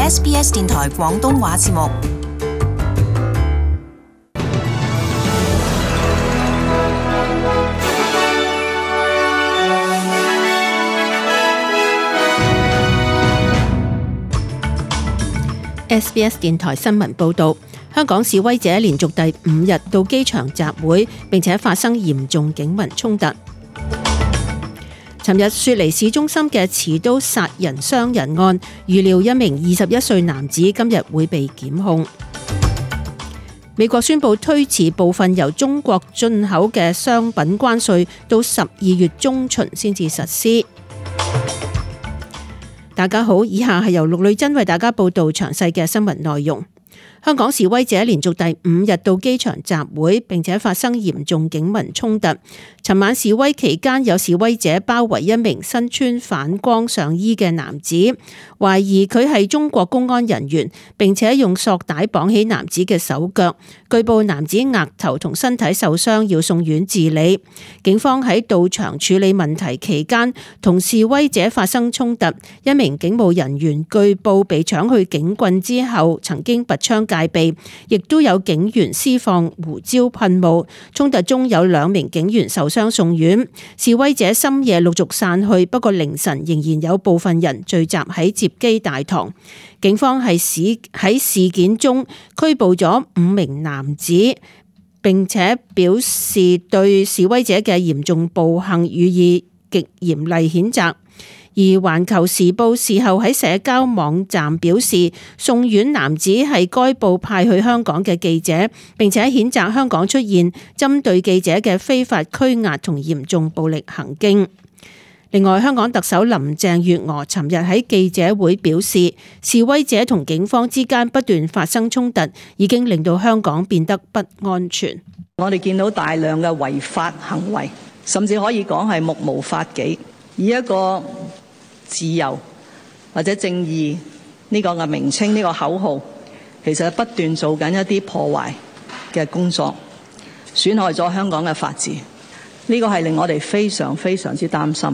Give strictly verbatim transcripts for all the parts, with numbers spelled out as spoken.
S B S 電台廣東話節目。S B S 電台新聞報道，香港示威者連續第五日到機場集會，並且發生嚴重警民衝突。尋日雪梨市中心嘅持刀殺人傷人案，預料一名二十一歲男子今日會被檢控。美國宣布推遲部分由中國進口嘅商品關稅到十二月中旬先至實施。大家好，以下係由陸女真為大家報道詳細嘅新聞內容。香港示威者連續第五日到機場集會，並且發生嚴重警民衝突。尋晚示威期間，有示威者包圍一名身穿反光上衣嘅男子，懷疑佢係中國公安人員，並且用索帶綁起男子嘅手腳。據報男子額頭同身體受傷，要送院治理。警方喺到場處理問題期間，同示威者發生衝突。一名警務人員據報被搶去警棍之後，曾經拔槍戒備，亦都有警員施放胡椒噴霧。衝突中有兩名警員受傷送院。示威者深夜陸續散去，不過凌晨仍然有部分人聚集喺接機大堂。警方係事喺事件中拘捕咗五名男子，並且表示對示威者嘅嚴重暴行予以極嚴厲譴責。而環球時報事後喺社交網站表示，送院男子係該報派去香港嘅記者，並且譴責香港出現針對記者嘅非法拘押同嚴重暴力行徑。另外，香港特首林鄭月娥尋日喺記者會表示，示威者同警方之間不斷發生衝突，已經令到香港變得不安全。我哋見到大量嘅違法行為，甚至可以講係目無法紀，以一個自由或者正義呢個嘅名稱，呢個口號，其實不斷做緊一啲破壞嘅工作，損害咗香港嘅法治。呢個係令我哋非常非常之擔心。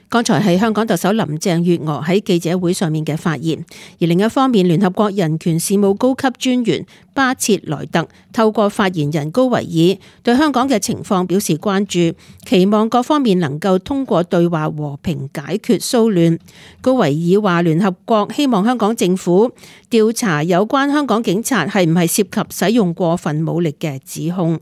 剛才係香港特首林鄭月娥喺記者會上面嘅發言。而另一方面，聯合國人權事務高級專員巴切萊特透過發言人高維爾對香港嘅情況表示關注，期望各方面能夠通過對話和平解決騷亂。高維爾話，聯合國希望香港政府調查有關香港警察係唔係涉及使用過分武力嘅指控。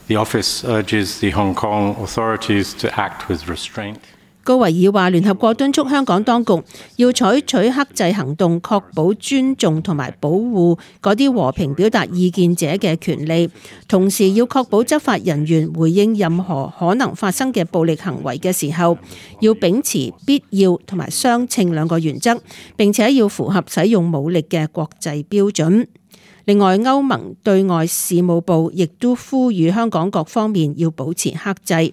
The office urges the Hong Kong authorities to act with restraint. 高維爾話，聯合國敦促香港當局要採取克制行動，確保尊重同埋保護嗰啲和平表達意見者嘅權利，同時要確保執法人員回應任何可能發生嘅暴力行為嘅時候，要秉持必要同埋相稱兩個原則，並且要符合使用武力嘅國際標準。另外，歐盟對外事務部亦都呼籲香港各方面要保持克制。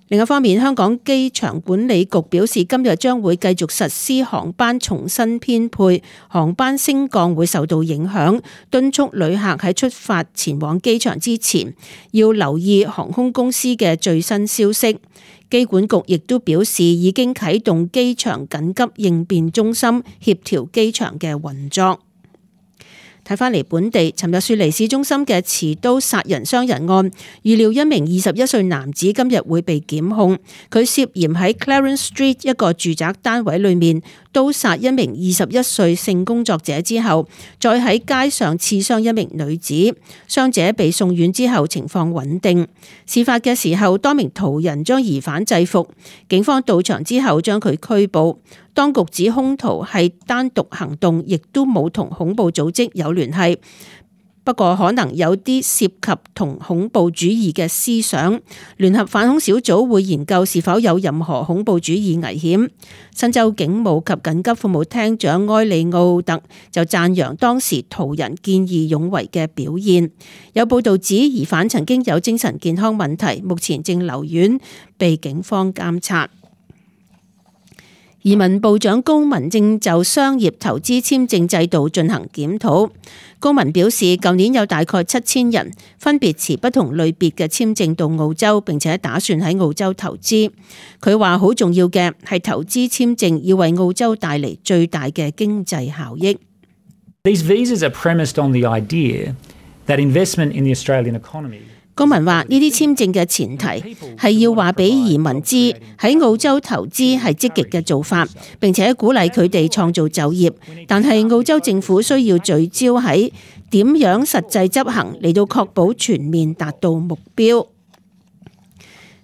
另一方面，香港機場管理局表示，今日將會繼續實施航班重新編配，航班升降會受到影響，敦促旅客喺出發前往機場之前，要留意航空公司嘅最新消息。機管局亦都表示，已經啟動機場緊急應變中心，協調機場嘅運作。睇返嚟本地，尋日雪梨市中心嘅持刀殺人傷人案，預料一名二十一歲男子今日會被檢控。佢涉嫌喺 Clarence Street 一個住宅單位裏面刀殺一名二十一歲性工作者之後，再喺街上刺傷一名女子。傷者被送院之後情況穩定。事發嘅時候，多名途人將疑犯制服，警方到場之後將佢拘捕。當局指兇徒係單獨行動，亦都冇同恐怖組織有聯繫。不過可能有啲涉及同恐怖主義嘅思想。聯合反恐小組會研究是否有任何恐怖主義危險。新州警務及緊急服務廳長埃利奧特就讚揚當時途人見義勇為嘅表現。有報道指疑犯曾經有精神健康問題，目前正留院被警方監察。移民部長高文正就商業投資簽證制度進行檢討。高文表示，舊年有大概七千人分別持不同類別嘅簽證到澳洲，並且打算喺澳洲投資。佢話好重要嘅係投資簽證要為澳洲帶嚟最大嘅經濟效益。These visas are premised on the idea that investment in the Australian economy。高文話：呢啲簽證嘅前提係要話俾移民知喺澳洲投資係積極嘅做法，並且鼓勵佢哋創造就業。但係澳洲政府需要聚焦喺點樣實際執行嚟到確保全面達到目標。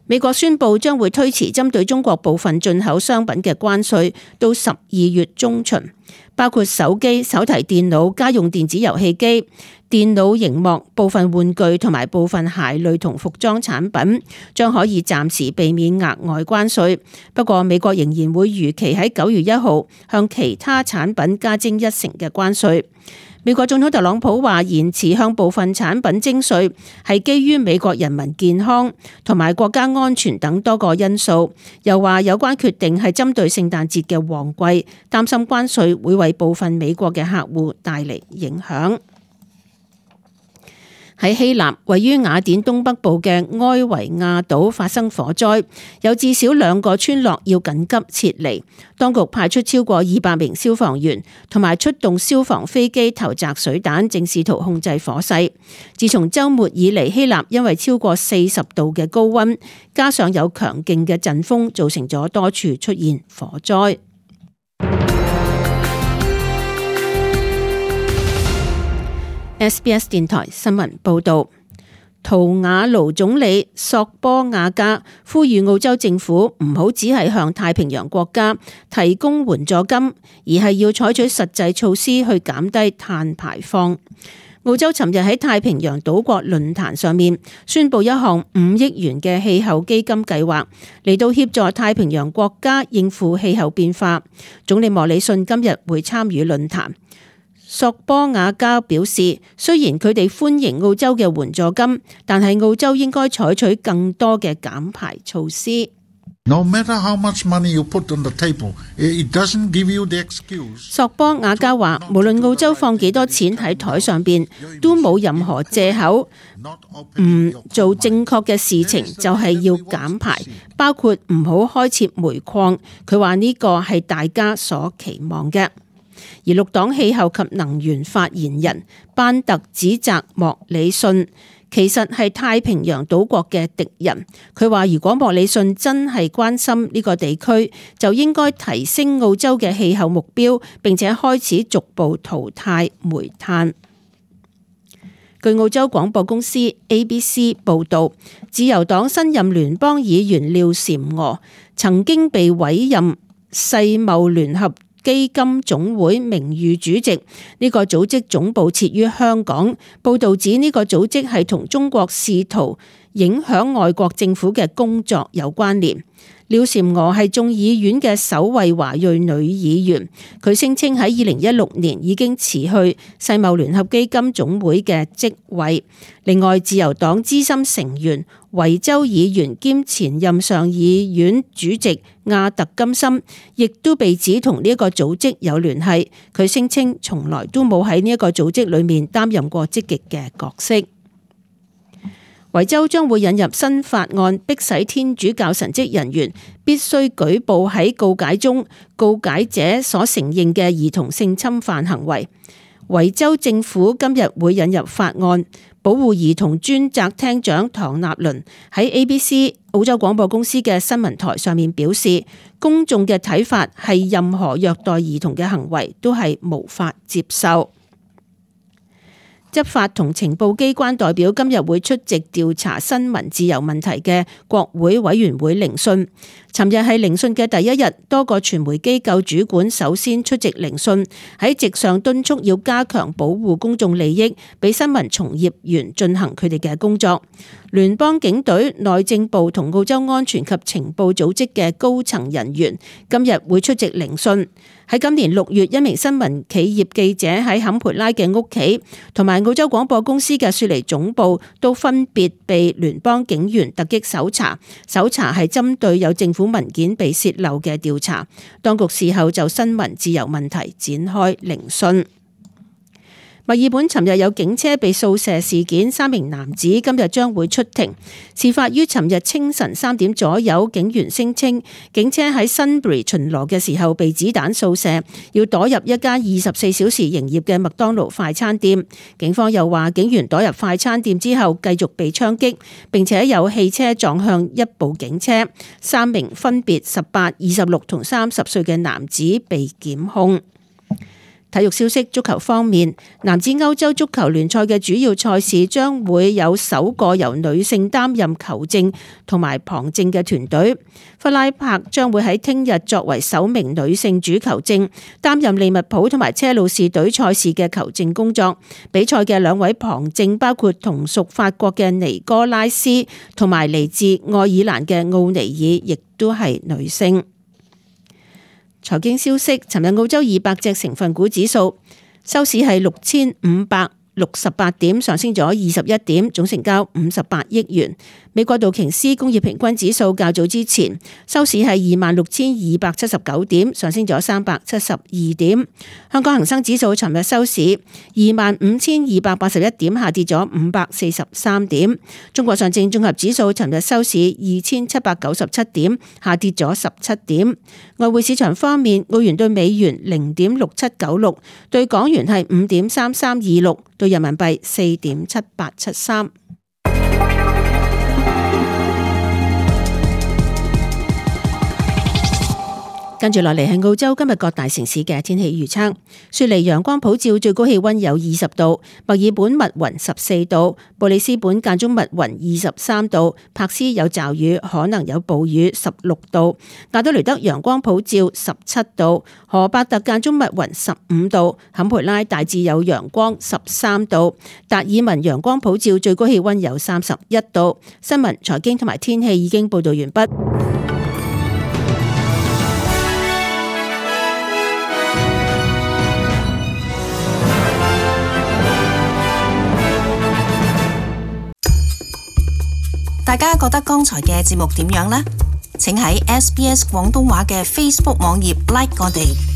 美國宣布將會推遲針對中國部分進口商品嘅關稅到十二月中旬，包括手機、手提電腦、家用電子遊戲機、電腦螢幕、部分玩具同埋部分鞋類同服裝產品將可以暫時避免額外關稅。不過美國仍然會如期喺九月一號向其他產品加徵一成嘅關稅。美國總統特朗普話延遲向部分產品徵稅係基於美國人民健康同埋國家安全等多個因素，又話有關決定係針對聖誕節嘅旺季，擔心關稅會為部分美國嘅客戶帶嚟影響。喺希臘位於雅典東北部嘅埃維亞島發生火災，有至少兩個村落要緊急撤離。當局派出超過二百名消防員，同埋出動消防飛機投擲水彈，正試圖控制火勢。自從週末以嚟，希臘因為超過四十度嘅高溫，加上有強勁嘅陣風，造成咗多處出現火災。S B S 電台新聞報導，圖瓦盧總理索波亞加呼籲澳洲政府唔好只係向太平洋國家提供援助金，而係要採取實際措施去減低碳排放。澳洲尋日喺太平洋島國論壇上面宣布一項五億元嘅氣候基金計劃，嚟到協助太平洋國家應付氣候變化。總理莫里遜今日會參與論壇。索波亞加表示，雖然佢哋歡迎澳洲嘅援助金，但係澳洲應該採取更多嘅減排措施。No matter how much money you put on the table, it doesn't give you the excuse. 索波亞加話，無論澳洲放幾多錢喺台上邊，都冇任何借口唔做正確嘅事情，就係要減排，包括唔好開設煤礦。佢話呢個係大家所期望嘅。而綠黨氣候及能源發言人班特指責莫里遜其實係太平洋島國嘅敵人。佢話如果莫里遜真係關心呢個地區，就應該提升澳洲嘅氣候目標，並且開始逐步淘汰煤炭。據澳洲廣播公司 A B C 報導，自由黨新任聯邦議員廖嬋娥曾經被委任世貿聯合基金總會名譽主席，呢個組織總部設於香港。報導指呢個組織係同中國試圖影響外國政府嘅工作有關聯。廖嬋娥係眾議院嘅首位華裔女議員，佢聲稱喺二零一六年已經辭去世貿聯合基金總會嘅職位。另外，自由黨資深成員維州議員兼前任上議院主席亞特金森，亦都被指同呢一個組織有聯繫。佢聲稱從來都冇喺呢一個組織裏面擔任過積極嘅角色。維州將會引入新法案，迫使天主教神職人員必須舉報喺告解中告解者所承認嘅兒童性侵犯行為。維州政府今日會引入法案，保護兒童專責廳長唐納倫喺 A B C 澳洲廣播公司嘅新聞台上面表示，公眾嘅睇法係任何虐待兒童嘅行為都係無法接受。執法同情報機關代表今日會出席調查新聞自由問題嘅國會委員會聆訊。尋日係聆訊嘅第一日，多個傳媒機構主管首先出席聆訊，喺席上敦促要加強保護公眾利益，俾新聞從業員進行佢哋嘅工作。聯邦警隊、內政部同澳洲安全及情報組織嘅高層人員今日會出席聆訊。喺今年六月，一名新聞企業記者喺坎培拉嘅屋企同埋澳洲廣播公司嘅雪梨總部都分別被聯邦警員突擊搜查，搜查係針對有政府文件被洩漏嘅調查。當局事後就新聞自由問題展開聆訊。墨爾本尋日有警車被掃射事件，三名男子今日將會出庭。事發於尋日清晨三點左右，警員聲稱警車喺 Sunbury 巡邏嘅時候被子彈掃射，要躲入一家二十四小時營業嘅麥當勞快餐店。警方又話警員躲入快餐店之後繼續被槍擊，並且有汽車撞向一部警車。三名分別十八、二十六同三十歲嘅男子被檢控。體育消息，足球方面，男子歐洲足球聯賽嘅主要賽事將會有首個由女性擔任球證同埋旁證嘅團隊。弗拉柏將會喺聽日作為首名女性主球證，擔任利物浦同埋車路士隊賽事嘅球證工作。比賽嘅兩位旁證包括同屬法國嘅尼哥拉斯同埋嚟自愛爾蘭嘅奧尼爾，亦都係女性。財經消息，尋日澳洲二百隻成分股指數收市係六千五百六十八點，上升咗二十一點，總成交五十八億元。美國道瓊斯工業平均指數較早之前收市係二萬六千二百七十九點，上升咗三百七十二點。香港恒生指數尋日收市二萬五千二百八十一點，下跌咗五百四十三點。中國上證綜合指數尋日收市二千七百九十七點，下跌咗十七點。外匯市場方面，澳元對美元零點六七九六，對港元係五點三三二六，對人民幣四點七八七三。跟住落嚟係澳洲今日各大城市嘅天氣預測。雪梨陽光普照，最高氣溫有二十度；墨爾本密雲十四度；布里斯本間中密雲二十三度；柏斯有驟雨，可能有暴雨十六度；亞德雷德陽光普照十七度；荷伯特間中密雲十五度；坎培拉大致有陽光十三度；達爾文陽光普照，最高氣溫有三十一度。新聞、財經同埋天氣已經報道完畢。大家覺得剛才嘅節目點樣呢？請喺 S B S 廣東話嘅 Facebook 網頁 like 我哋。